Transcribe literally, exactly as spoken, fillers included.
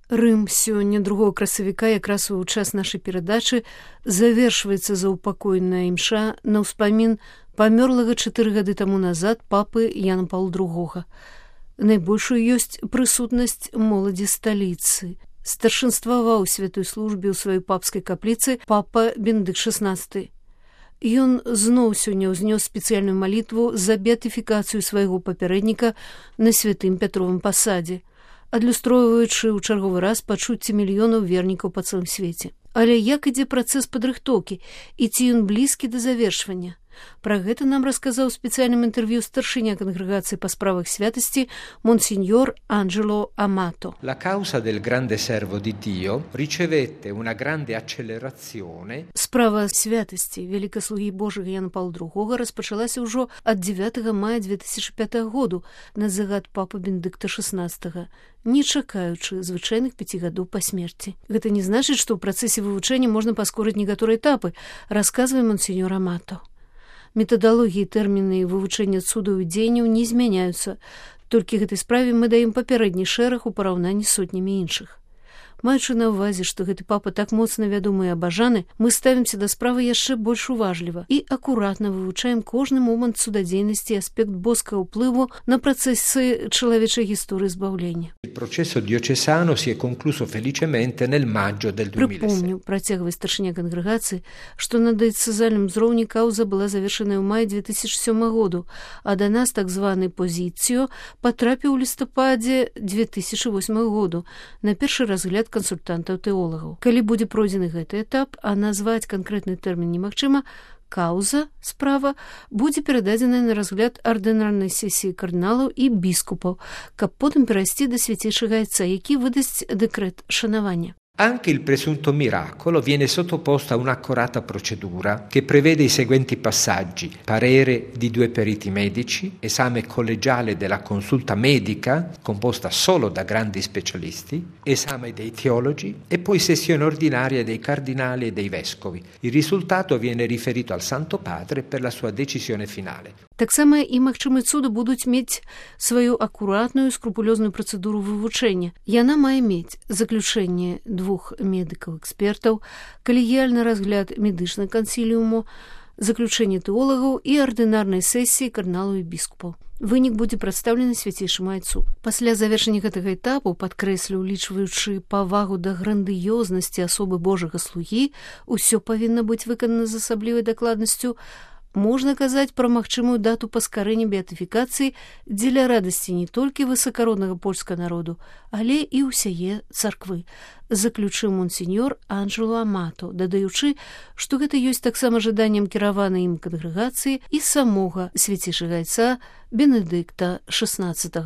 Рым сёння другога красавіка якраз у час нашай перадачы завершваецца заўпакойная імша на ўспамін памёрлага чатыры гады таму назад папы Яна Паўла другога. Найбольшую ёсць прысутнасць моладзі сталіцы. Старшынстваваў святой службе ў сваёй папскай капліцы папа Бенедыкт шаснаццаты. Ён зноў сёння ўзнёс спецыяльную малітву за беатыфікацыю свайго папярэдніка на святым Пятровым пасадзе, адлюстроўваючы ў чарговы раз пачуцці мільёнаў вернікаў па цэлым свеце. Але як ідзе працэс падрыхтоўкі і ці ён блізкі да завершвання? Пра гэта нам расказаў у спецыяльным інтэрв'ю старшыня кангрэгацыі па справах святасці монсеньор Анджело Амато. La causa del grande servo di Dio ricevette una grande accelerazione. Справа святасці вялікаслугі Божага Яна Паўла другога распачалася ўжо ад дзевятага мая две тысячы пятага году на загад папы Бенедыкта шаснаццатага, не чакаючы звычайных пяці гадоў па смерці. Гэта не значыць, што ў працэсе вывучэння можна паскорыць некаторыя этапы, расказвае монсеньор Амато. Метадалогіі, тэрміны вывучэння цудаў і дзеянняў не змяняюцца, толькі гэтай справе мы даем папярэдні шэраг у параўнанні з сотнямі іншых. Маючы на ўвазе, што гэты папа так моцна вядомы і абажаны, мы ставімся да справы яшчэ больш уважліва і акуратна вывучаем кожны момант цудадзейнасці і аспект боскага ўплыву на працэсы чалавечай гісторыі збаўлення. Il processo diocesano si è concluso felicemente nel maggio del duemilasette. Прыпомню, працягвае старшыня кангрэгацыі, што на дыяцэзальным узроўні каўза была завершаная ў маі две тысячы сёмага году, а да нас так званы позіцыё патрапіў у лістападзе две тысячы восьмага году на першы разгляд кансультантаў-тэолагаў. Калі будзе пройдзены гэты этап, а назваць канкрэтны тэрмін немагчыма, каўза, справа, будзе перададзеная на разгляд ардынарнай сесіі кардыналаў і біскупаў, каб потым перайсці да свяцейшага айца, які выдасць дэкрэт шанавання. Anche il presunto miracolo viene sottoposto a un'accurata procedura che prevede i seguenti passaggi: parere di due periti medici, esame collegiale della consulta medica, composta solo da grandi specialisti, esame dei teologi e poi sessione ordinaria dei cardinali e dei vescovi. Il risultato viene riferito al Santo Padre per la sua decisione finale. Таксама і магчымыя цуды будуць мець сваю акуратную скрупулёзную працэдуру вывучэння. Яна мае мець заключэнне двух медыкаў-экспертаў, калегіяльны разгляд медычнага кансіліуму, заключэнне тэолагаў і ардынарнай сесіі кардыналаў і біскупаў. Вынік будзе прадстаўлены свяцейшаму айцу. Пасля завершэння гэтага этапу, падкрэслю, улічваючы павагу да грандыёзнасці асобы Божага слугі, усё павінна быць выканана з асаблівай дакладнасцю, можна казаць пра магчымую дату паскарэння беатыфікацыі дзеля радасці не толькі высакароднага польскага народу, але і ўсяе царквы, заключыў монсеньор Анджело Амато, дадаючы, што гэта ёсць таксама жаданнем кіраванай ім кангрэгацыі і самога свяцейшага айца Бенедыкта шаснаццатага.